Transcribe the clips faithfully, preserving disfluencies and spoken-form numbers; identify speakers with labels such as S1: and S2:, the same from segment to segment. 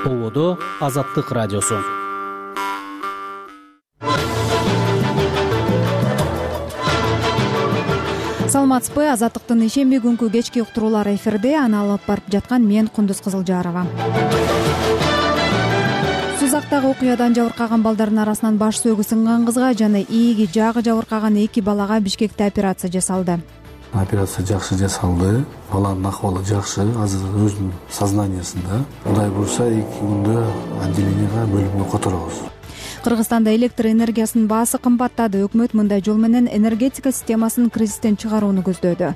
S1: Болодо Азаттык радиосу.
S2: Саламатсызбы? Азаттыктын ишемби күнкү кечки уктуруулары эфирде. Аны алып барып жаткан мен Кундуз Кызылжарова. Сузактагы окуядан жабыркаган балдардын арасынан баш сөөгү сынган кызга жана ийиги жагы жабыркаган эки балага Бишкекте операция жасалды.
S3: Операция жакшы жасалды. Баланын акыбалы жакшы, азыр өзүнүн сознаниясында. Кудай буюрса эки күндө отделенияга бөлүмгө которобуз.
S2: Кыргызстанда электр энергиясынын баасы кымбаттады. Өкмөт мындай жол менен энергетика системасын кризистен чыгарууну көздөөдү.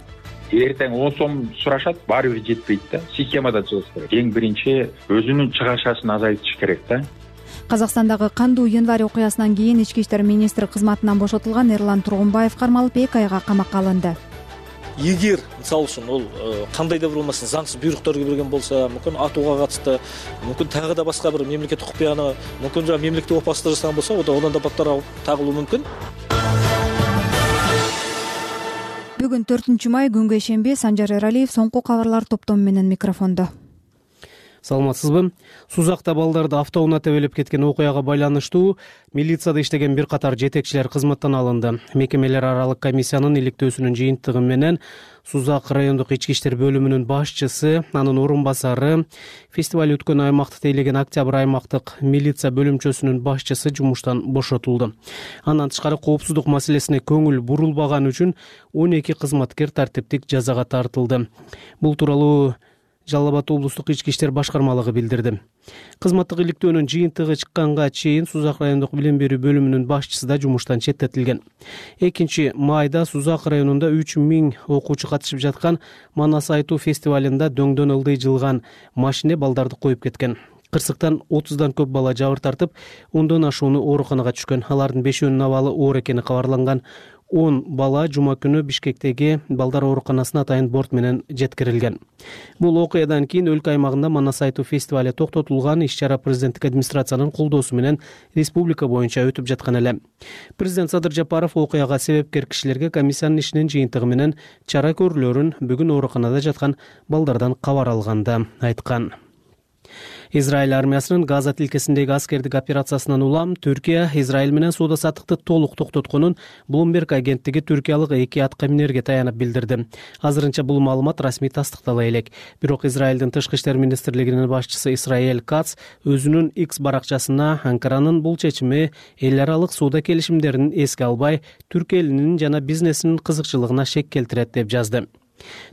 S4: Эртең он сом сурашат, баары бир жетпейт да. Системада чыгыш керек. Эң биринчи өзүнүн чыгашасын азайтыш керек да.
S2: Казакстандагы кандуу январь окуясынан кийин ички иштер министри кызматынан бошотулган Эрлан Тургунбаев кармалып эки айга камакка алынды.
S5: Эгер мисалы үчүн ол кандай да бир болмаса заңсыз буйруктарды берген болсо, мүмкүн атууга катышты, мүмкүн тагы да башка бир мемлекеттик купуяны, мүмкүн жана мемлекеттик опасыздык жасаган болсо, одан да баттар тагылуу мүмкүн.
S2: Бүгүн төртүнчү май күнгө ишемби. Санжар Эралиев соңку кабарлар топтому менен микрофондо.
S1: Саламатсызбы? Сузакта балдарды автоунаа тебелеп кеткен окуяга байланыштуу милицияда иштеген бир катар жетекчилер кызматтан алынды. Мекемелер аралык комиссиянын иликтөөсүнүн жыйынтыгы менен Сузак райондук ички иштер бөлүмүнүн башчысы, анын орун басары, фестиваль өткөн аймакты тейлеген Октябрь аймактык милиция бөлүмчөсүнүн башчысы жумуштан бошотулду. Андан тышкары коопсуздук маселесине көңүл бурулбаганы үчүн он эки кызматкер тартиптик жазага тартылды. Бул тууралуу Жалал Абад облустук ички иштер башкармалыгы билдирди. Кызматтык иликтөөнүн жыйынтыгы чыкканга чейин Сузак райондук билим берүү бөлүмүнүн башчысы да жумуштан четтетилген. экинчи майда Сузак районунда үч миң окуучу катышып жаткан Манас айтуу фестивалында дөңдөн ылдый жылган машине балдарды коюп кеткен. Кырсыктан отуздан көп бала жабыр тартып, ондон ашууну ооруканага түшкөн. Алардын бешөөнүн абалы оор экени кабарланган. он бала жума күнү Бишкектеги балдар ооруканасына атайын борт менен жеткирилген. Бул окуядан кийин өлкө аймагында Манас айтуу фестивали токтотулган. Иш-чара президенттик администрациянын колдоосу менен республика боюнча өтүп жаткан эле. Президент Садыр Жапаров окуяга себепкер кишилерге комиссиянын ишинин жыйынтыгы менен чара көрүүлөрүн бүгүн ооруканада жаткан балдардан кабар алганда айткан. Израиль армиясынын Газа тилкесиндеги аскердик операциясынан улам Түркия Израиль менен соода-саттыкты толук токтотконун Bloomberg агенттиги түркиялык эки атка минерге таянып билдирди. Азырынча бул маалымат расмий тастыктала элек. Бирок Израилдин тышкы иштер министрлигинин башчысы Исраэль Кац өзүнүн X баракчасына Анкаранын бул чечими эл аралык соода келишимдерин эске албай, түрк элинин жана бизнесинин кызыкчылыгына шек келтирет деп жазды.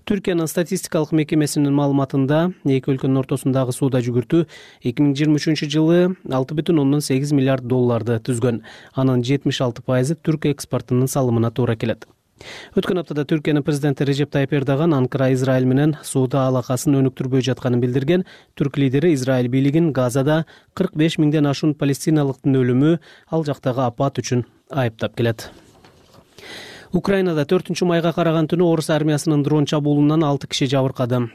S1: Түркиянын статистикалык мекемесинин маалыматында эки өлкөнүн ортосундагы соода жүгүртүү эки миң жыйырма үчүнчү жылы алты бүтүн ондон сегиз миллиард долларды түзгөн. Анын жетимиш алты пайызы түрк экспортунун салымына туура келет. Өткөн аптада Түркиянын президенти Режеп Тайып Эрдоган Анкара Израиль менен соода алакасын өнүктүрбөй жатканын билдирген. Түрк лидери Израиль бийлигин Газада кырк беш миңден ашуун палестиналыктын өлүмү, ал жактагы апат үчүн айыптап келет. Украинада төртүнчү майга караган түнү орус армиясынын дрон чабуулунан алты киши жабыркады.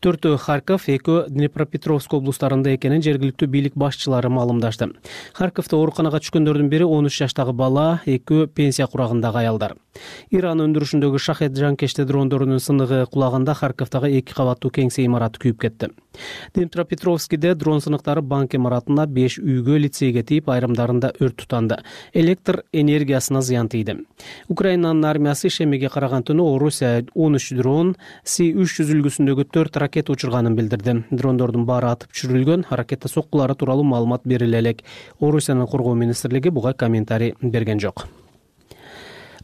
S1: Төртөө Харьков, экөө Днепропетровск облустарында экенин жергиликтүү бийлик башчылары маалымдашты. Харьковто ооруканага түшкөндөрдүн бири он үч жаштагы бала, экөө пенсия курагындагы аялдар. Иран өндүрүшүндөгү шахет жанкечти дрондорунун сыныгы кулаганда Харьковтагы эки кабаттуу кеңсе имараты күйүп кетти. Днепропетровскиде дрон сыныктары банк имаратына, беш үйгө, лицейге тийип, айрымдарында өрт тутанды. Электр энергиясына зыян тийди. Украинанын армиясы ишемеге караган түнү Орусия он үч дрон, Си үч жүз үлгүсүндөгү төрт ракета учурганын билдирди. Дрондордун баары атып түшүрүлгөн, ракета соккулары тууралуу маалымат бериле элек. Орусиянын коргоо министрлиги буга комментарий берген жок.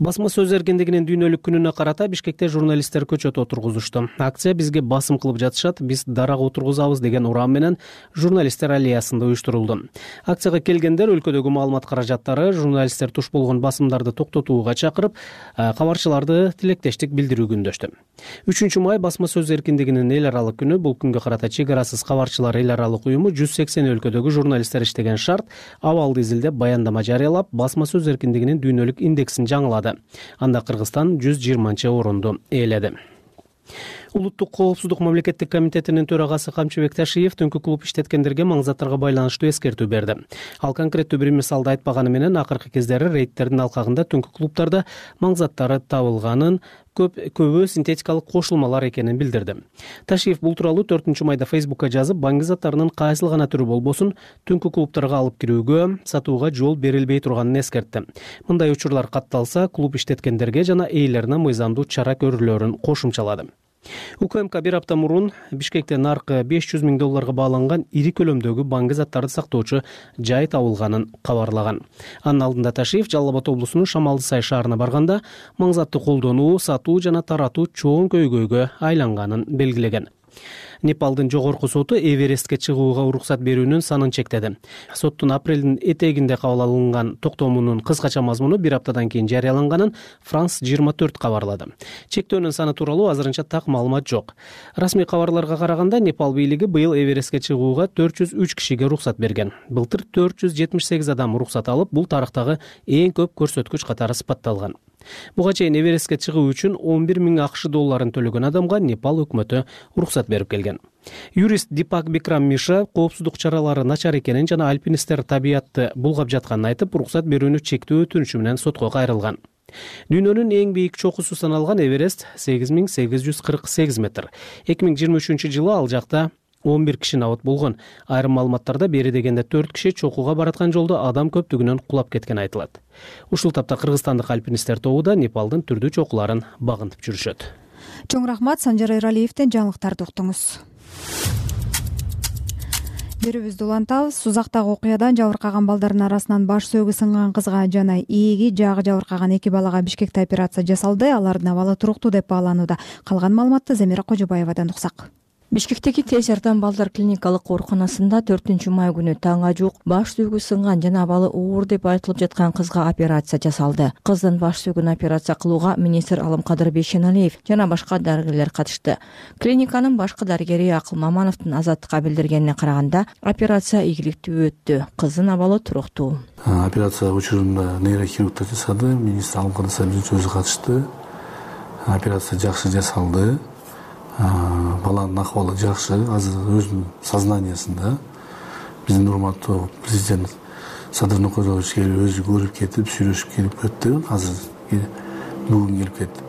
S1: Басма сөз эркиндигинин дүйнөлүк күнүнө карата Бишкекте журналисттер көчөт отургузушту. Акция бизге басым кылып жатышат, биз дарак отургузабыз деген урам менен журналисттер аллеясында уюштурулду. Акцияга келгендер өлкөдөгү маалымат каражаттары, журналисттер туш болгон басымдарды токтотууга чакырып, кабарчыларды тилектештик билдирүү күндөштү. үчүнчү май басма сөз эркиндигинин эл аралык күнү. Бул күнгө карата чек арасыз кабарчылар эл аралык уюму жүз сексен өлкөдөгү журналисттер иштеген шарт абалды изилдеп баяндама жарыялап, басма сөз эркиндигинин дүйнөлүк индексин жаңылады. Анда Кыргызстан жүз жыйырманчы орунду ээледи. Улуттук коопсуздук мамлекеттик комитетинин төрагасы Камчыбек Ташиев түнкү клуб иштеткендерге маңзаттарга байланыштуу эскертүү берди. Ал конкреттүү бир мисалды айтпаганы менен акыркы кездери рейдтердин алкагында түнкү клубтарда маңзаттары табылганын, көп көбү синтетикалык кошулмалар экенин билдирди. Ташиев бул тууралуу төртүнчү майда Фейсбукка жазып, баңги заттарынын кайсыл гана түрү болбосун түнкү клубтарга алып кирүүгө, сатууга жол берилбей турганын эскертти. Мындай учурлар катталса, клуб иштеткендерге жана ээлерине мыйзамдуу чара көрүлөрүн кошумчалады. УКМК бир апта мурун Бишкекте наркы беш жүз миң долларга бааланган ири көлөмдөгү баңги заттарды сактоочу жай табылганын кабарлаган. Анын алдында Ташиев Жалал Абад облусунун Шамалды Сай шаарына барганда маңзатты колдонуу, сатуу жана таратуу чоң көйгөйгө айланганын белгилеген. Непалдын жогорку соту Эверестке чыгууга уруксат берүүнүн санын чектеди. Соттун апрелдин этегинде кабыл алынган токтомунун кыскача мазмуну бир аптадан кийин жарыяланганын Франс жыйырма төрт кабарлады. Чектөөнүн саны тууралуу азырынча так маалымат жок. Расмий кабарларга караганда, Непал бийлиги быйыл Эверестке чыгууга төрт жүз үч кишиге уруксат берген. Былтыр төрт жүз жетимиш сегиз адам уруксат алып, бул тарыхтагы эң көп көрсөткүч катары сыпатталган. Буга чейин Эверестке чыгуу үчүн он бир миң акш долларын төлөгөн адамга Непал өкмөтү уруксат берип келген. Юрист Дипак Бикрам Миша коопсуздук чаралары начар экенин жана альпинисттер табиятты булгап жатканын айтып, уруксат берүүнү чектөө өтүнүшү менен сотко кайрылган. Дүйнөнүн эң бийик чокусу саналган Эверест сегиз миң сегиз жүз кырк сегиз метр. эки миң жыйырма үчүнчү жылы ал жакта он бир киши абат болгон. Айрым маалыматтарда бери дегенде төрт киши чокуга бараткан жолдо адам көптүгүнөн кулап кеткен айтылат. Ушул тапта кыргызстандык альпинисттер тобу да Непалдын түрдүү чокуларын багынтып жүрүшөт.
S2: Чоң рахмат, Санжар Эралиевден жаңылыктарды уктуңуз. Берүүбүздү улантабыз. Сузактагы окуядан жабыркаган балдардын арасынан баш сөөгү сынган кызга жана ээги жагы жабыркаган эки балага Бишкекте операция жасалды. Алардын абалы туруктуу деп бааланууда. Калган маалыматты Замира Кожобаевадан уксак.
S6: Бишкектеги тез жардам балдар клиникалык ооруканасында төртүнчү май күнү таңга жуук баш сөөгү сынган жана абалы оор деп айтылып жаткан кызга операция жасалды. Кыздын баш сөөгүн операция кылууга министр Алымкадыр Бейшеналиев жана башка дарыгерлер катышты. Клиниканын башкы дарыгери Акыл Мамановдун Азаттыкка билдиргенине караганда, операция ийгиликтүү өттү. Кыздын абалы туруктуу.
S3: Операция учурунда нейрохирургтар жасады, министр Алымкадыр Сабирович өзү катышты. Операция жакшы жасалды. Баланын акыбалы жакшы, азыр өзүнүн сознаниясында. Биздин урматтуу президент Садыр Нукматович келип өзү көрүп кетип, сүйлөшүп келип кетти. Азыр бүгүн келип кетти.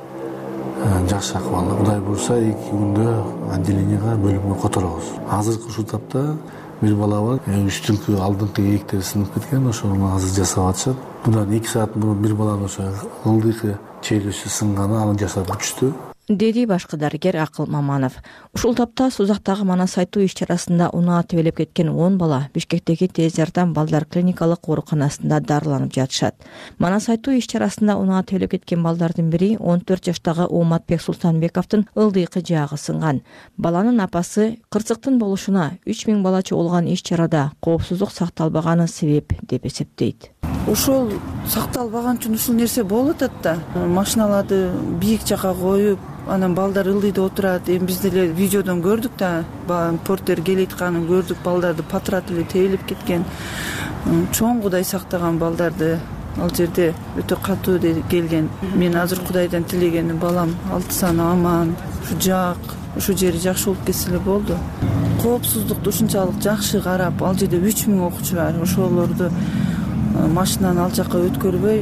S3: Жакшы акыбалы. Кудай буюрса эки күндө отделенияга, бөлүмгө которобуз. Азыркы ушул тапта бир бала бар, үстүңкү алдыңкы ээктери сынып кеткен, ошону азыр жасап атышат. Мындан эки саат мурун бир баланын ошо ылдыйкы челюсү сынганы, аны жасап өтүштү,
S6: деди башкы дарыгер Акыл Маманов. Ушул тапта Сузактагы манас айтуу иш-чарасында унаа тебелеп кеткен он бала Бишкектеги тез жардам балдар клиникалык ооруканасында дарыланып жатышат. Манас айтуу иш-чарасында унаа тебелеп кеткен балдардын бири он төрт жаштагы Ооматбек Султанбековдун ылдыйкы жаагы сынган. Баланын апасы кырсыктын болушуна үч миң бала чогулган иш-чарада коопсуздук сакталбаганы себеп деп эсептейт.
S7: Ошол сакталбаган үчүн ушул нерсе болуп атат да. Машиналарды бийик жака коюп, анан балдар ылдыйда отурат. Эми биз деле видеодон көрдүк да, портер келейтканын көрдүк, балдарды патрат эле тебелеп кеткен. Чоң Кудай сактаган балдарды ал жерде өтө катуу келген. Мен азыр Кудайдан тилегеним балам алты саны аман, ушу жак, ушу жери жакшы болуп кетсе эле болду. Коопсуздукту ушунчалык жакшы карап, ал жерде үч миң окуучу бар. Ошолорду машинаны ал жака өткөрбөй,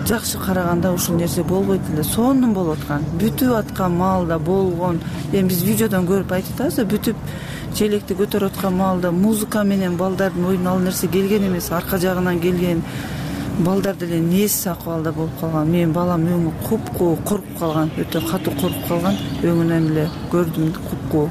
S7: жакшы караганда ушул нерсе болбойт эле. Сонун болуп аткан, бүтүп аткан маалда болгон. Эми биз видеодон көрүп айтып атабыз да, бүтүп желекти көтөрүп аткан маалда музыка менен балдардын оюна ал нерсе келген эмес, арка жагынан келген. Балдар деле несиз акыбалда болуп калган. Менин балам өңү купкуу, коруп калган, өтө катуу коруп калган. Өңүнөн эле көрдүм, купкуу.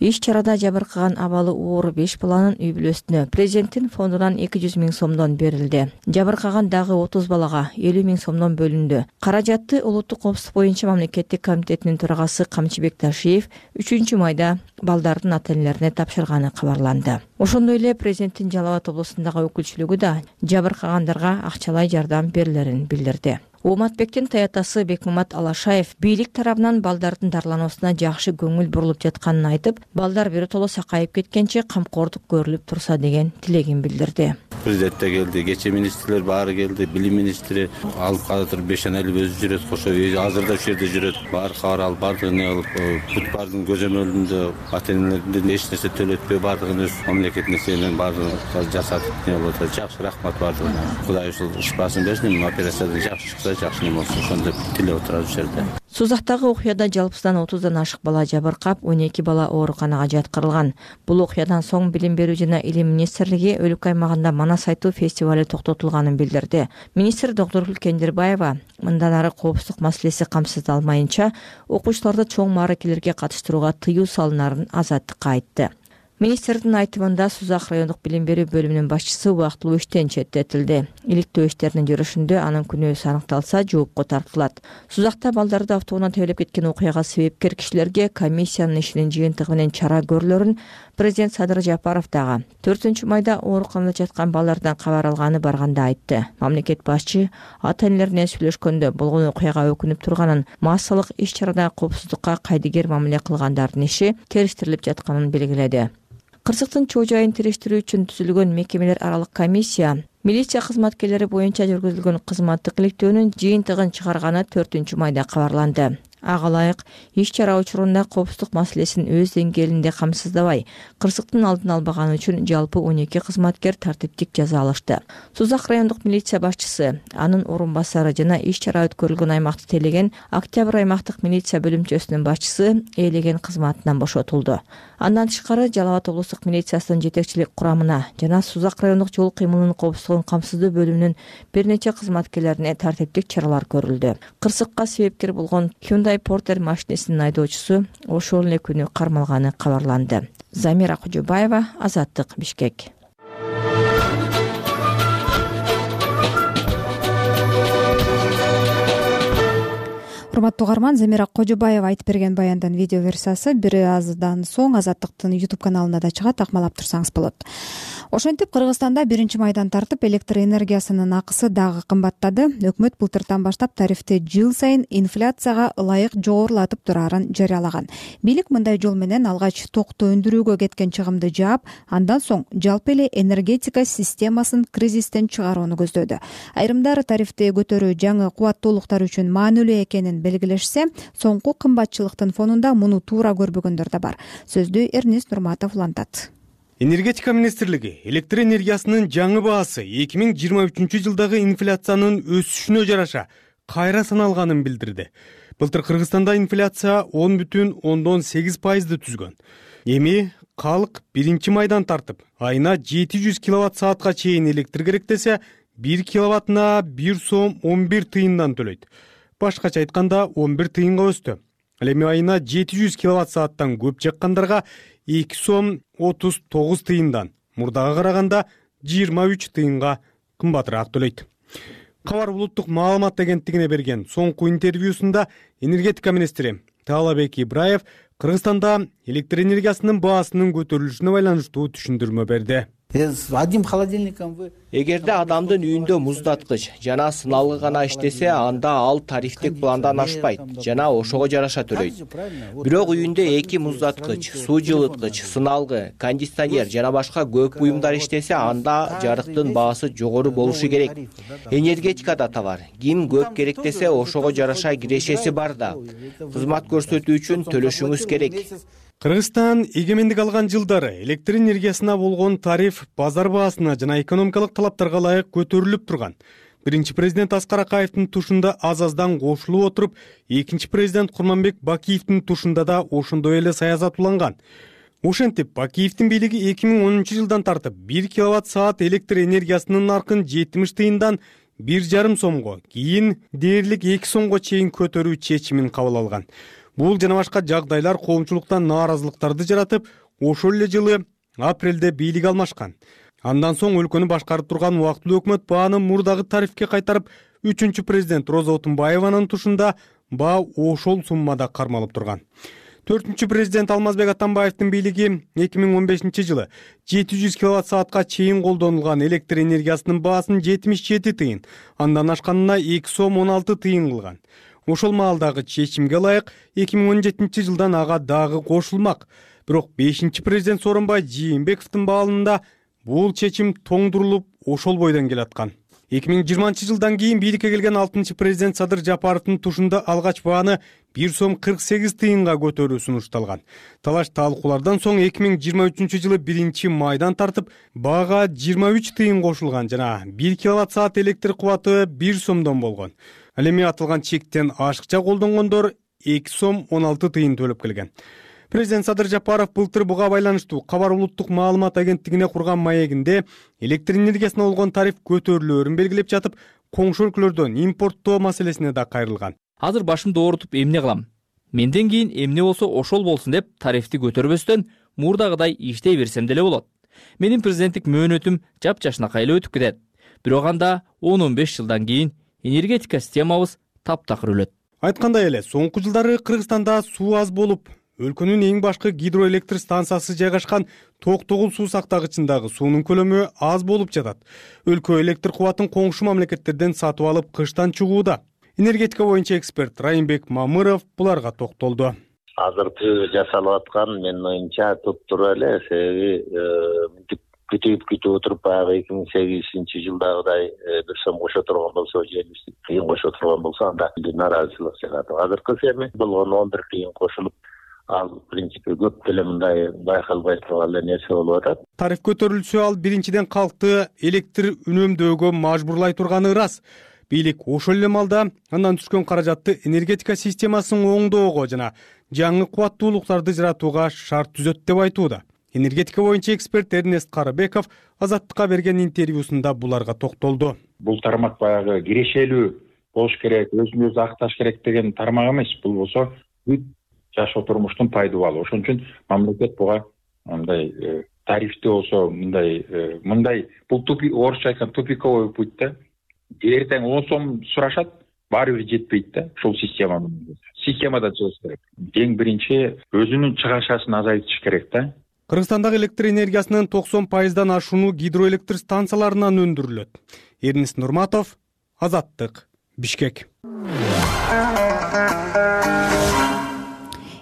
S6: Иш-чарада жабыркаган абалы оор беш баланын үй бүлөсүнө президенттин фондунан эки жүз миң сомдон берилди. Жабыркаган дагы отуз балага элүү миң сомдон бөлүндү. Каражатты Улуттук коопсуздук боюнча мамлекеттик комитетинин төрагасы Камчыбек Ташиев үчүнчү майда балдардын ата-энелерине тапшырганы кабарланды. Ошондой эле президенттин Жалал Абад облусундагы өкүлчүлүгү да жабыркагандарга акчалай жардам берилерин билдирди. Ооматбектин таятасы Бекмамат Алашаев бийлик тарабынан балдардын дарылануусуна жакшы көңүл бурулуп жатканын айтып, балдар биротоло сакайып кеткенче камкордук көрүлүп турса деген тилегин билдирди.
S8: президент да келди, кечээ министрлер баары келди, билим министри алып калатыр, Бешеналиев өзү жүрөт, кошо азырда ушул жерде жүрөт. Баары кабар алып, баардыгын алып, бүт баардыгын көзөмөлүндө ата энелерден эч нерсе төлөтпөй, баардыгын өз мамлекетине сенен баардыгын жасатып не болуп атат. Жакшы, рахмат баардыгына. Кудай ушул шифасын берсин, операциядан жакшы чыкса, жакшы не болсун, ошондо тилеп отурабыз ушул жерде.
S6: Сузактагы окуяда жалпысынан отуздан ашык бала жабыркап, он эки бала ооруканага жаткырылган. Бул окуядан соң Билим берүү жана Илим министрлиги өлкө аймагында манас айтуу фестивали токтотулганын билдирди. Министр Доктургүл Кендирбаева мындан ары коопсуздук маселеси камсыздалмайынча окуучуларды чоң мааракелерге катыштырууга тыюу салынарын азаттыкка айтты. Министрдин айтымында Сузак райондук билим берүү бөлүмүнүн башчысы убактылуу иштен четтетилди. Иликтөө иштеринин жүрүшүндө анын күнөөсү аныкталса, жоопко тартылат. Сузакта балдарды автоунаа тебелеп кеткен окуяга себепкер кишилерге комиссиянын ишинин жыйынтыгы менен чара көрүлөрүн президент Садыр Жапаров дагы төртүнчү майда ооруканада жаткан балдардан кабар алганы барганда айтты. Мамлекет башчы ата энелерине сүйлөшкөндө болгон окуяга өкүнүп турганын, массалык иш-чарада коопсуздукка кайдыгер мамиле кылгандардын иши териштирилип жатканын белгиледи. Кырсыктын чоо жайын териштирүү үчүн түзүлгөн мекемелер аралык комиссия милиция кызматкерлери боюнча жүргүзүлгөн кызматтык иликтөөнүн жыйынтыгын чыгарганы төртүнчү майда кабарланды. Ага ылайык иш-чара учурунда коопсуздук маселесин өз деңгээлинде камсыздабай, кырсыктын алдын албаганы үчүн жалпы он эки кызматкер тартиптик жаза алышты. Сузак райондук милиция башчысы, анын орун басары жана иш-чара өткөрүлгөн аймакты тейлеген Октябрь аймактык милиция бөлүмчөсүнүн башчысы ээлеген кызматынан бошотулду. Андан тышкары Жалал Абад облустук милициясынын жетекчилик курамына жана Сузак райондук жол кыймылынын коопсуздугун камсыздоо бөлүмүнүн бир нече кызматкерлерине тартиптик чаралар көрүлдү. Кырсыкка себепкер болгон Hyundai Porter машинесинин айдоочусу ошол эле күнү кармалганы кабарланды. Замира Кожобаева, Азаттык, Бишкек.
S2: Урматтуу угарман, Замира Кожобаева айтып берген баяндын видео версиясы бир аздан соң Азаттыктын YouTube каналында да чыгат, акмалап турсаңыз болот. Ошентип Кыргызстанда биринчи майдан тартып электр энергиясынын акысы дагы кымбаттады. Өкмөт былтыртан баштап тарифти жыл сайын инфляцияга ылайык жогорулатып турарын жарыялаган. Бийлик мындай жол менен алгач токту өндүрүүгө кеткен чыгымды жаап, андан соң жалпы эле энергетика системасын кризистен чыгарууну көздөдү. Айрымдары тарифти көтөрүү жаңы кубаттуулуктар үчүн маанилүү экенин белгилешсе, соңку кымбатчылыктын фонунда муну туура көрбөгөндөр да бар. Сөздү Эрнис Нурматов улантат.
S1: Энергетика министрлиги электр энергиясынын жаңы баасы эки миң жыйырма үчүнчү жылдагы инфляциянын өсүшүнө жараша кайра саналганын билдирди. Былтыр Кыргызстанда инфляция он бүтүн ондон сегиз пайызды түзгөн. Эми калк биринчи майдан тартып, айына жети жүз киловатт саатка чейин электр керек десе, бир киловаттына бир сом он бир тыйындан төлөйт. Башкача айтканда он бир тыйынга өстү. Ал эми айына жети жүз киловатт сааттан көп жаккандарга эки сом отуз тогуз тыйындан, мурдага караганда жыйырма үч тыйынга кымбатыраак төлөйт. Кабар улуттук маалымат агенттигине берген соңку интервьюсунда энергетика министри Таалабек Ибраев Кыргызстанда электр энергиясынын баасынын көтөрүлүшүнө байланыштуу түшүндүрмө берди.
S9: Эгерде адамдын үйүндө муздаткыч жана сыналгы гана иштесе, анда ал тарифтик пландан ашпайт жана ошого жараша төлөйт. Бирок үйүндө эки муздаткыч, суу жылыткыч, сыналгы, кондиционер жана башка көп буюмдар иштесе, анда жарыктын баасы жогору болушу керек. Энергетикада да бар. Ким көп керек десе, ошого жараша кирешеси бар да. Кызмат көрсөтүү үчүн төлөшүңүз керек.
S1: Кыргызстан эгемендик алган жылдары электр энергиясына болгон тариф базар баасына жана экономикалык талаптарга ылайык көтөрүлүп турган. Биринчи президент Аскар Акаевдин тушунда аз-аздан кошулуп отуруп, экинчи президент Курманбек Бакиевдин тушунда да ошондой эле саясат уланган. Ошентип, Бакиевдин бийлиги эки миң онунчу жылдан тартып бир киловатт саат электр энергиясынын наркын жетимиш тыйындан бир жарым сомго, кийин дээрлик эки сомго чейин көтөрүү чечимин кабыл алган. Бул жана башка жагдайлар коомчулуктан нааразылыктарды жаратып, ошол эле жылы апрелде бийлик алмашкан. Андан соң өлкөнү башкарып турган убактылуу өкмөт бааны мурдагы тарифке кайтарып, үчүнчү президент Роза Отунбаеванын тушунда баа ошол суммада кармалып турган. төртүнчү президент Алмазбек Атамбаевдин бийлиги эки миң он бешинчи жылы жети жүз киловатт саатка чейин колдонулган электр энергиясынын баасын жетимиш жети тыйын, андан ашканына эки сом он алты тыйын кылган. Ошол маалдагы чечимге ылайык эки миң он жетинчи жылдан ага дагы кошулмак. Бирок бешинчи президент Сооронбай Жээнбековдун баалында
S10: бул чечим тоңдурулуп ошол бойдон келаткан. эки миң жыйырманчы жылдан кийин бийликке келген алтынчы президент Садыр Жапаровдун тушунда алгач бааны бир сом кырк сегиз тыйынга көтөрүү сунушталган. Талаш талкуулардан соң эки миң жыйырма үчүнчү жылы биринчи майдан тартып баага жыйырма үч тыйын кошулган жана бир киловатт саат электр кубаты бир сомдон болгон. Ал эми атылган чектен ашыкча колдонгондор эки сом он алты тыйын төлөп келген. Президент Садыр Жапаров былтыр буга байланыштуу Кабар улуттук маалымат агенттигине курган маегинде электр энергиясына болгон тариф көтөрүлөөрүн белгилеп жатып, коңшу өлкөлөрдөн импорттоо маселесине да кайрылган.
S11: Азыр башымды оорутуп эмне кылам? Менден кийин эмне болсо ошол болсун деп тарифти көтөрбөстөн мурдагыдай иштей берсем деле болот. Менин президенттик мөөнөтүм жапжашынакай эле өтүп кетет. Бирок анда он он беш жылдан кийин энергетика системабыз таптакыр өлөт.
S10: Айткандай эле, соңку жылдары Кыргызстанда суу аз болуп, өлкөнүн эң башкы гидроэлектр станциясы жайгашкан Токтогул суу сактагычындагы суунун көлөмү аз болуп жатат. Өлкө электр кубатын коңшу мамлекеттерден сатып алып кыштан чыгууда. Энергетика боюнча эксперт Райымбек Мамыров буларга токтолду.
S12: Азыркы жасалып аткан менин оюмча туптура эле, себеби күтүп күтүп отуруп баягы эки миң сегизинчи жылдагыдай бир сом кошо турган болсо, жетимиш тыйын кошо турган болсо, анда нааразычылык чыгат. Азыркы эми болгон он бир тыйын кошулуп, ал в принципе көп деле мындай байкалбай турган эле нерсе болуп атат.
S10: Тариф көтөрүлсө, ал биринчиден калкты электр үнөмдөөгө мажбурлай турганы ырас. Бийлик ошол эле маалда андан түшкөн каражатты энергетика системасын оңдоого жана жаңы кубаттуулуктарды жаратууга шарт түзөт деп айтууда. Энергетика боюнча эксперт Эрнест Карыбеков Азаттыкка берген интервьюсунда буларга токтолду.
S4: Бул тармак баягы кирешелүү болуш керек, өзүн өзү акташ керек деген тармак эмес. Бул болсо бүт жашоо турмуштун пайдубалы. Ошон үчүн мамлекет буга мындай тарифти болсо мындай мындай бул тупик, орусча айтканда тупиковый путь да. Эртең он сом сурашат, баары бир жетпейт да. Ушул система системада чыгыш керек. Эң биринчи өзүнүн чыгашасын азайтыш керек да.
S10: Кыргызстандагы электр энергиясынын токсон пайыздан ашууну гидроэлектр станцияларынан өндүрүлөт. Эрнис Нурматов, Азаттык, Бишкек.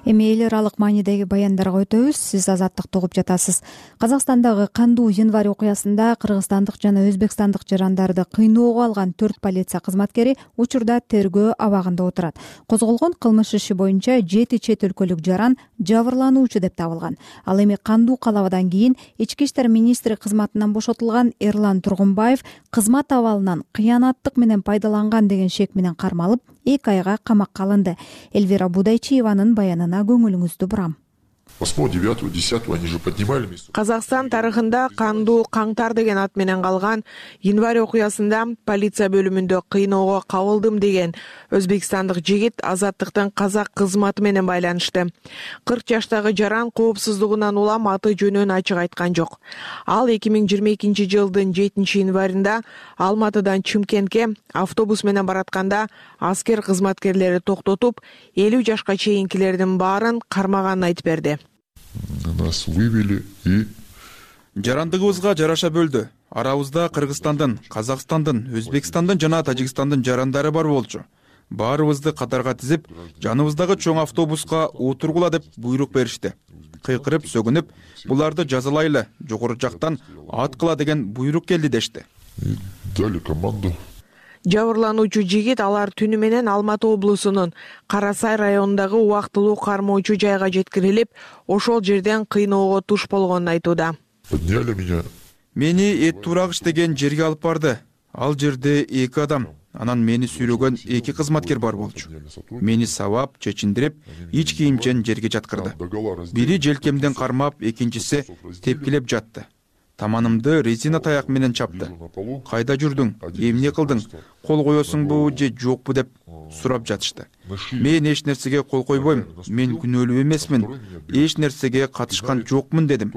S2: Эми эл аралык маанидеги баяндарга өтөбүз. Сиз Азаттыкты угуп жатасыз. Казакстандагы кандуу январь окуясында кыргызстандык жана өзбекстандык жарандарды кыйноого алган төрт полиция кызматкери учурда тергөө абагында отурат. Козголгон кылмыш иши боюнча жети чет өлкөлүк жаран жабырлануучу деп табылган. Ал эми кандуу калабадан кийин ички иштер министри кызматынан бошотулган Эрлан Тургунбаев кызмат абалынан кыянаттык менен пайдаланган деген шек менен кармалып, эки айга камакка алынды. Эльвира Будайчиеванын баянына көңүлүңүздү бурам.
S13: Казакстан тарыхында кандуу каңтар деген ат менен калган январь окуясында полиция бөлүмүндө кыйноого кабылдым деген өзбекстандык жигит Азаттыктын казак кызматы менен байланышты. кырк жаштагы жаран коопсуздугунан улам аты жөнүн ачык айткан жок. Ал эки миң жыйырма экинчи жылдын жетинчи январында Алматыдан Чымкентке автобус менен баратканда аскер кызматкерлери токтотуп, элүү жашка чейинкилердин баарын кармаганын айтып берди.
S14: Нас вывели и
S15: жарандыгыбызга жараша бөлдү. Арабызда Кыргызстандын, Казакстандын, Өзбекстандын жана Тажикстандын жарандары бар болчу. Баарыбызды катарга тизип, жаныбыздагы чоң автобуска отургула деп буйрук беришти. Кыйкырып, сөгүнүп, буларды жазалайлы, жогору жактан аткыла деген буйрук келди дешти.
S14: Дали команду.
S13: Жабырлануучу жигит алар түнү менен Алматы облусунун Кара Сай районундагы убактылуу кармоочу жайга жеткирилип, ошол жерден кыйноого туш болгонун айтууда.
S14: Подняли меня.
S15: Мени эт турагыч деген жерге алып барды. Ал жерде эки адам, анан мени сүйрөгөн эки кызматкер бар болчу. Мени сабап, чечиндирип, ич кийимчен жерге жаткырды. Бири желкемден кармап, экинчиси тепкилеп жатты. Таманымды резина таяк менен чапты. Кайда жүрдүң? Эмне кылдың? Кол коесуңбу же жокпу деп сурап жатышты. Мен эч нерсеге кол койбойм. Мен күнөөлүү эмесмин. Эч нерсеге катышкан жокмун дедим.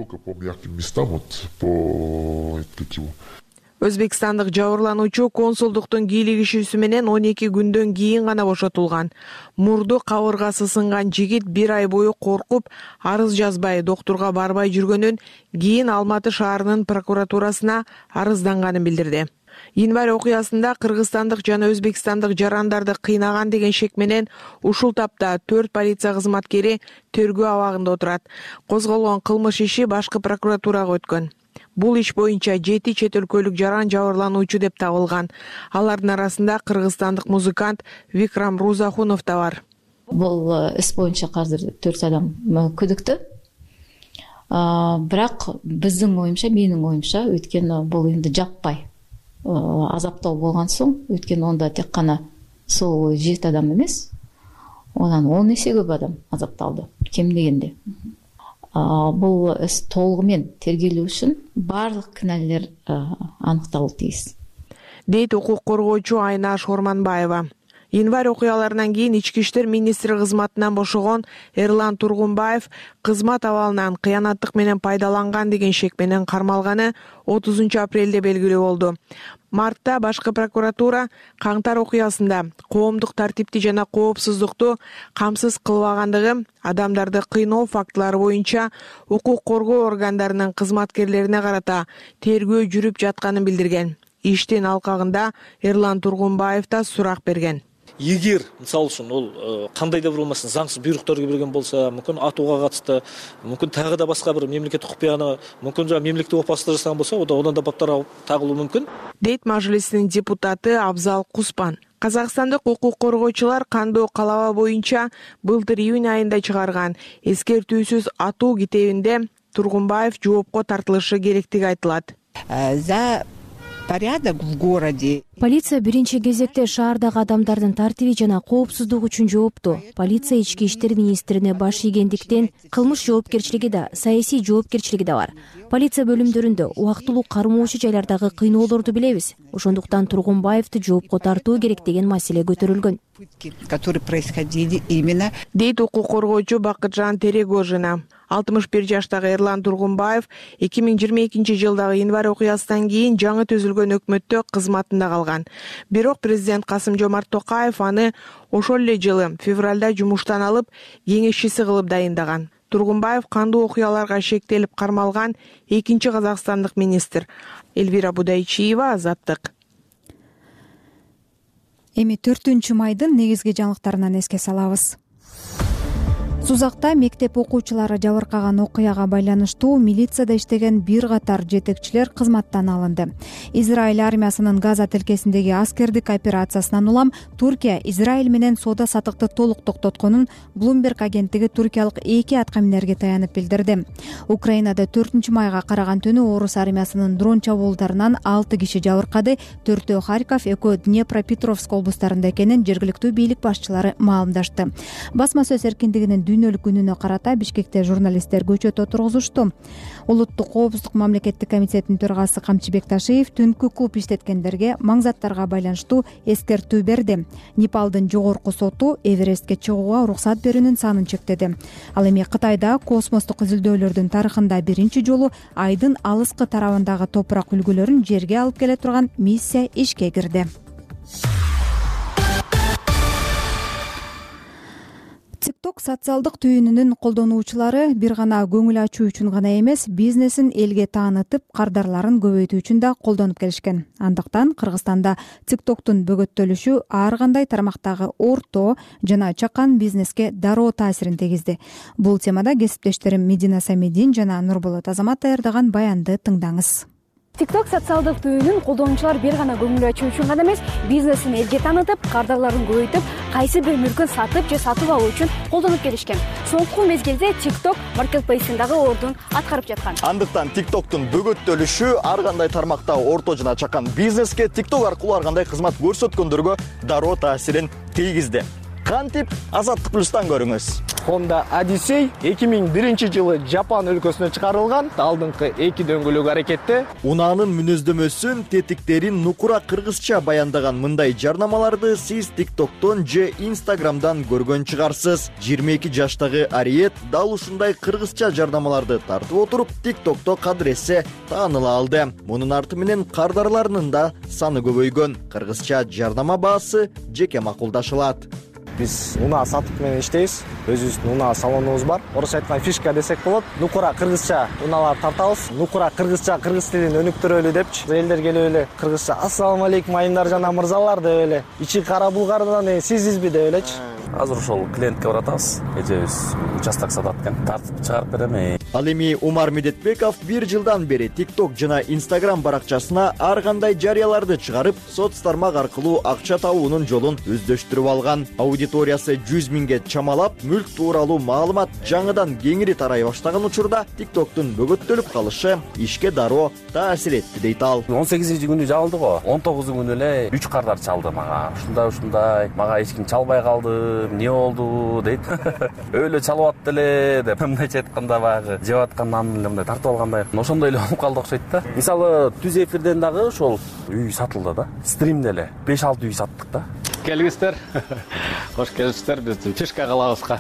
S13: Өзбекстандык жабырлануучу консулдуктун кийлигишүүсү менен он эки күндөн кийин гана бошотулган. Мурду кабыргасы сынган жигит бир ай бою коркуп, арыз жазбай, доктурга барбай жүргөнүн, кийин Алматы шаарынын прокуратурасына арызданганын билдирди. Январь окуясында кыргызстандык жана өзбекстандык жарандарды кыйнаган деген шек менен ушул тапта төрт полиция кызматкери тергөө абагында отурат. Козголгон кылмыш иши башкы прокуратурага өткөн. Бул иш боюнча жети чет өлкөлүк жаран жабырлануучу деп табылган. Алардын арасында кыргызстандык музыкант Викрам Рузахунов да бар.
S16: Бул іс боюнча азыр төрт адам күдүктүү. Бирок биздин оюмча, менин оюмча, өйткөнү бул энди жаппай азаптоо болгон соң, өйткөнү онда тек гана сол жети адам эмес, онан он эсе көп адам азапталды, кем дегенде. Бул іс толугу менен тергелүү үчүн баардык күнөөлөр аныкталуу тийиз,
S13: дейт укук коргоочу Айнаш Орманбаева. Январь окуяларынан кийин ички иштер министри кызматынан бошогон Эрлан Тургунбаев кызмат абалынан кыянаттык менен пайдаланган деген шек менен кармалганы отузунчу апрелде белгилүү болду. Мартта башкы прокуратура Каңтар окуясында коомдук тартипти жана коопсуздукту камсыз кылбагандыгы, адамдарды кыйноо фактылары боюнча укук коргоо органдарынын кызматкерлерине карата тергөө жүрүп жатканын билдирген. Иштин алкагында Эрлан Тургунбаев да сурак берген.
S5: Эгер мисалы үчүн ол кандайдыр бир болмасын заңсыз буйруктарга берген болсо, мүмкүн атууга катышты, мүмкүн тагы да башка бир мемлекеттик укук, мүмкүн жана мемлекеттик опасыздык жасаган болсо, одан да баптар тагылуу мүмкүн, дейт Мажлистин депутаты Абзал Куспан. Казакстандык укук коргоочулар кандуу калаба боюнча былтыр июнь айында чыгарган эскертүүсүз атуу китебинде Тургунбаев жоопко тартылышы керектиги айтылат.
S17: За порядок в городе.
S18: Полиция биринчи кезекте шаардагы адамдардын тартиби жана коопсуздугу үчүн жоопту. Полиция ички иштер министрине баш ийгендиктен кылмыш жоопкерчилиги да, саясий жоопкерчилиги да бар. Полиция бөлүмдөрүндө убактылуу кармоочу жайлардагы кыйноолорду билебиз. Ошондуктан Тургунбаевди жоопко тартуу керек деген маселе көтөрүлгөн.
S17: Которые происходили именно,
S13: дейт укук коргоочу Бакытжан Терегожина. алтымыш бир жаштагы Эрлан Тургунбаев эки миң жыйырма экинчи жылдагы январь окуясынан кийин жаңы түзүлгөн өкмөттө кызматында калган. Бирок президент Касым-Жомарт Токаев аны ошол эле жылы февралда жумуштан алып, кеңешчиси кылып дайындаган. Тургунбаев кандуу окуяларга шектелип кармалган экинчи казакстандык министр. Элвира Будайчиева, Азаттык.
S2: Эми төртүнчү майдын негизги жаңылыктарынан эске салабыз. Сузакта мектеп окуучулары жабыркаган окуяга байланыштуу милицияда иштеген бир катар жетекчилер кызматтан алынды. Израиль армиясынын Газа тилкесиндеги аскердик операциясынан улам Туркия Израиль менен соода сатыкты толук токтотконун Bloomberg агенттиги туркиялык эки аткаминерге таянып билдирди. Украинада төртүнчү майга караган түнү орус армиясынын дрон чабуулдарынан алты киши жабыркады, төртөө Харьков, экөө Днепропетровск облустарында экенин жергиликтүү бийлик башчылары маалымдашты. Басма сөз эркиндигинин дүйнөлүк күнүнө карата Бишкекте журналисттер көчөт отургузушту. Улуттук коопсуздук мамлекеттик комитетинин төрагасы Камчыбек Ташиев түнкү клуб иштеткендерге маңзаттарга байланыштуу эскертүү берди. Непалдын жогорку соту Эверестке чыгууга уруксат берүүнүн санын чектеди. Ал эми Кытайда космостук изилдөөлөрдүн тарыхында биринчи жолу айдын алыскы тарабындагы топурак үлгүлөрүн жерге алып келе турган миссия ишке кирди. TikTok социалдык түйүнүнүн колдонуучулары бир гана көңүл ачуу үчүн гана эмес, бизнесин элге таанытып, кардарларын көбөйтүү үчүн да колдонуп келишкен. Андыктан Кыргызстанда TikToктун бөгөттөлүшү ар кандай тармактагы орто жана чакан бизнеске дароо таасирин тийгизди. Бул темада кесиптештерим Медина Самедин жана Нурболот Азамат даярдаган баянды тыңдаңыз.
S19: TikTok социалдык түйүнүн колдонуучулар бир гана көңүл ачуу үчүн гана эмес, бизнесин элге таанытып, кардарларын көбөйтүп, кайсы бир мүлкүн сатып же сатып алуу үчүн колдонуп келишкен. Соңку мезгилде TikTok маркетплейсиндагы ордун аткарып жаткан.
S20: Андыктан TikToктун бөгөттөлүшү ар кандай тармактагы орто жана чакан бизнеске TikTok аркылуу ар кандай кызмат көрсөткөндөргө дароо таасирин тийгизди. Кантип Азаттык плюстан көрүңүз.
S21: Honda Odyssey эки миң биринчи жылы Жапон өлкөсүнө чыгарылган. Алдыңкы эки дөңгөлөк аракетте
S20: унаанын мүнөздөмөсүн, тетиктерин нукура кыргызча баяндаган мындай жарнамаларды сиз TikToктон же Instagramдан көргөн чыгарсыз. жыйырма эки жаштагы Ариет дал ушундай кыргызча жарнамаларды тартып отуруп TikTokто кадыресе тааныла алды. Мунун арты менен кардарларынын да саны көбөйгөн. Кыргызча жарнама баасы жеке макулдашылат.
S21: Биз унаа сатып менен иштейбиз. Өзүбүздүн унаа салонубуз бар. Орусча айтканда фишка десек болот. Нукура кыргызча унаалар тартабыз. Нукура кыргызча, кыргыз тилин өнүктүрөлү депчи. Элдер келип эле кыргызча ассалам алейкум айымдар жана мырзалар деп эле. Ичи кара булгардан сизизби деп элечи.
S22: Азыр ошол клиентке баратабыз. Эжебиз участок сатат экен. Тартып чыгарып берем.
S20: Ал эми Умар Медетбеков бир жылдан бери TikTok жана Instagram баракчасына ар кандай жарыяларды чыгарып, соц тармак аркылуу акча табуунун жолун өздөштүрүп алган. Аудиториясы жүз миңге чамалап, мүлк тууралуу маалымат жаңыдан кеңири тарай баштаган учурда TikToктун бөгөттөлүп калышы ишке дароо таасир этти дейт ал.
S3: он сегизинчи күнү жабылды го. он тогузунчу күнү эле үч кардар чалды мага. Ушундай ушундай, мага эч ким чалбай калды, эмне болду дейт. Өйлө чалып атты эле деп мындайча айтканда баягы жеп аткан нанды эле мындай тартып алгандай. Ошондой эле болуп калды окшойт да. Мисалы түз эфирден дагы ошол үй сатылды да. Стримде эле беш алты үй саттык да.
S22: Келиңиздер. Кош келипсиздер биздин Пишка калабызга.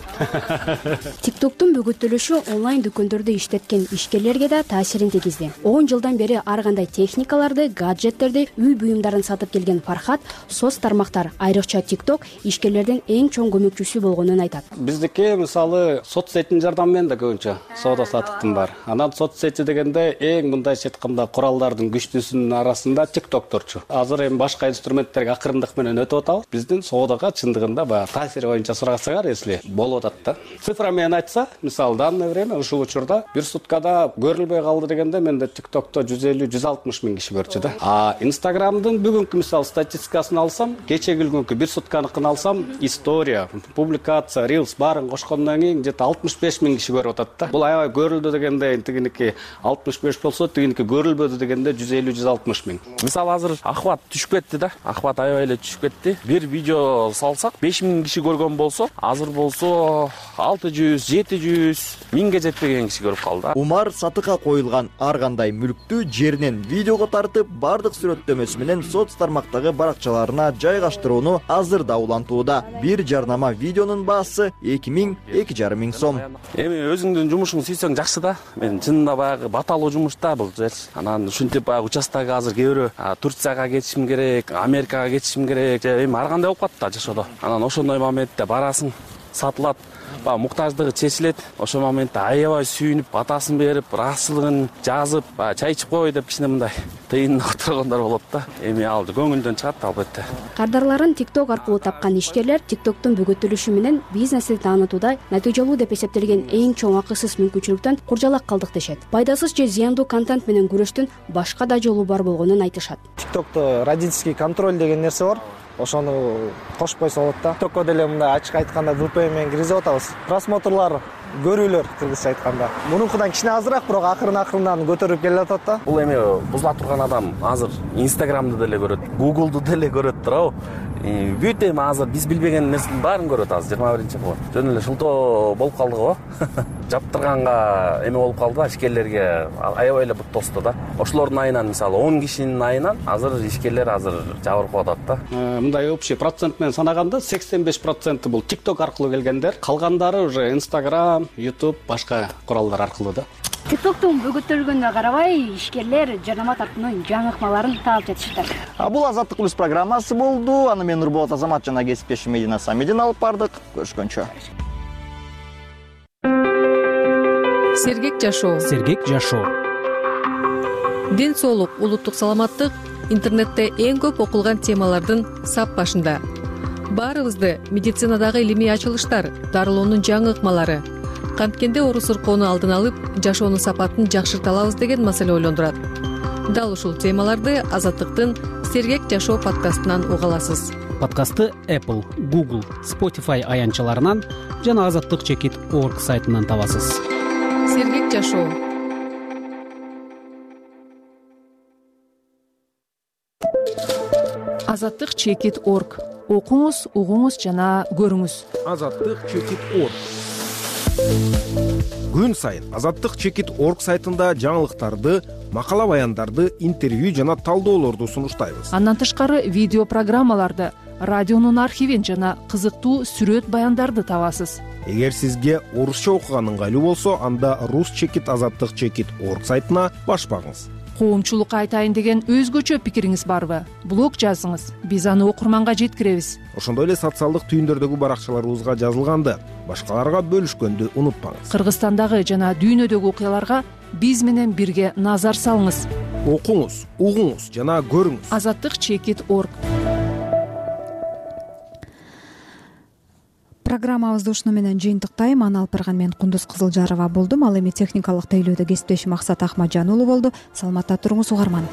S23: TikToктун бөгөттөлүшү онлайн дүкөндөрдө иштеткен ишкерлерге да таасирин тийгизди. он жылдан бери ар кандай техникаларды, гаджеттерди, үй буюмдарын сатып келген Фархат соц тармактар, айрыкча TikTok ишкерлердин эң чоң көмөкчүсү болгонун айтат.
S22: Биздики мисалы соц сеттин жардамы менен да көбүнчө соода саттыктын бар. Анан соц сети дегенде эң мындайча айтканда куралдардын күчтүүсүнүн арасында TikTokторчу. Азыр эми башка инструменттерге акырындык менен өтүп атабыз. Биздин соодага чындыгында баягы таасири боюнча сурасаңар, если болуп атат да. Цифра менен айтса, мисалы данное время ушул учурда бир суткада көрүлбөй калды дегенде менде TikTokто жүз элүү жүз алтымыш миң киши көрчү да. А Instagramдын бүгүнкү мисалы статистикасын алсам, кечеги күнгү бир сутканыкын алсам, история, публикация, reels баарын кошкондон кийин где-то алтымыш беш миң киши көрүп атат да. Бул аябай көрүлдү дегенде тигиники алтымыш беш болсо, тигиники көрүлбөдү дегенде жүз элүү жүз алтымыш миң.
S3: Мисалы азыр охват түшүп кетти да. Охват аябай эле түшүп кетти. Бир видео салсак беш миң киши көргөн болсо, азыр болсо алты жүз, жети жүз миңге жетпеген киши көрүп калды.
S20: Умар сатыкка коюлган ар кандай мүлктү жеринен видеого тартып, бардык сүрөттөмөсү менен соц тармактагы баракчаларына жайгаштырууну азыр да улантууда. Бир жарнама видеонун баасы эки миң, эки жарым миң сом.
S3: Эми өзүңдүн жумушуңду сүйсөң жакшы да. Мен чынында баягы баталуу жумуш да бул жер. Анан ушинтип баягы участогу азыр кээ бирөө Турцияга кетишим керек, Америкага кетишим керек, эми ар кандай болуп калат да жашоодо. Анан ошондой моментте барасың, сатылат, баягы муктаждыгы чечилет. Ошол моментте аябай сүйүнүп, батасын берип, ыраазычылыгын жазып, баягы чай ичип кой деп кичине мындай тыйынына отургондар болот да. Эми ал көңүлдөн чыгат албетте.
S23: Кардарларын TikTok аркылуу тапкан ишкерлер TikToктун бөгөттөлүшү менен бизнести таанытууда натыйжалуу деп эсептелген эң чоң акысыз мүмкүнчүлүктөн куржалак калдык дешет. Пайдасыз же зыяндуу контент менен күрөштүн башка да жолу бар болгонун айтышат.
S21: TikTokто родительский контроль деген нерсе бар. Ошону кошпойсо болот да. TikTokко деле мындай ачык айтканда ви пи эн менен киргизип атабыз. Просмотрлар, көрүүлөр кыргызча айтканда. Мунукудан кичине азыраак, бирок акырын акырындан көтөрүп келе атат да.
S3: Бул эми бузула турган адам азыр Instagramды деле көрөт, Google'ду деле көрөт туурабы? Бүт эми азыр биз билбеген нерсенин баарын көрөт азыр жыйырма биринчи кылып. Жөн эле шылтоо болуп калды го. Жаптырганга эме болуп калды да, ишкерлерге аябай эле бут тосту да. Ошолордун айынан мисалы он кишинин айынан азыр ишкерлер азыр жабырып атат да.
S22: Мындай общий процент менен санаганда сексен беш проценти бул TikTok аркылуу келгендер, калгандары уже Instagram, YouTube, башка куралдар аркылуу да.
S19: TikToктун бөгөттөлгөнүнө карабай ишкерлер жарнама тартуунун жаңы ыкмаларын таап жатышты.
S20: Бул Азаттык плюс программасы болду. Аны мен Нурболот Азамат жана кесиптешим Медина Самедин алып бардык. Көрүшкөнчө.
S24: Сергек жашоо.
S1: Сергек жашоо.
S24: Ден соолук, улуттук саламаттык интернетте эң көп окулган темалардын сап башында. Баарыбызды медицинадагы илимий ачылыштар, дарылоонун жаңы ыкмалары, канткенде оору сыркоону алдын алып, жашоонун сапатын жакшырта алабыз деген маселе ойлондурат. Дал ушул темаларды Азаттыктын Сергек жашоо подкастынан уга аласыз.
S1: Подкастты Apple, Google, Spotify аянтчаларынан жана азаттык чекит точка орг сайтынан табасыз.
S24: Сергек жашоо. Азаттык чекит точка орг. Окуңуз, угуңуз жана көрүңүз.
S25: Азаттык чекит точка орг. Күн сайын Азаттык чекит точка орг сайтында жаңылыктарды, макала баяндарды, интервью жана талдоолорду сунуштайбыз.
S24: Андан тышкары видео программаларды, радионун архивин жана кызыктуу сүрөт баяндарды табасыз.
S25: Эгер сизге орусча окуган ыңгайлуу болсо, анда рус чекит азаттык чекит точка орг сайтына баш багыңыз.
S24: Коомчулукка айтайын деген өзгөчө пикириңиз барбы? Блог жазыңыз, биз аны окурманга жеткиребиз.
S25: Ошондой эле социалдык түйүндөрдөгү баракчаларыбызга жазылганды башкаларга бөлүшкөндү унутпаңыз.
S24: Кыргызстандагы жана дүйнөдөгү окуяларга биз менен бирге назар салыңыз.
S25: Окуңуз, угуңуз жана көрүңүз.
S24: Азаттык чекит точка орг.
S2: программабызды ушуну менен жыйынтыктайм. Аны алып барган мен Кундуз Кызылжарова болдум. Ал эми техникалык тейлөөдө кесиптешим Максат Ахмаджан уулу болду. Саламатта туруңуз угарман.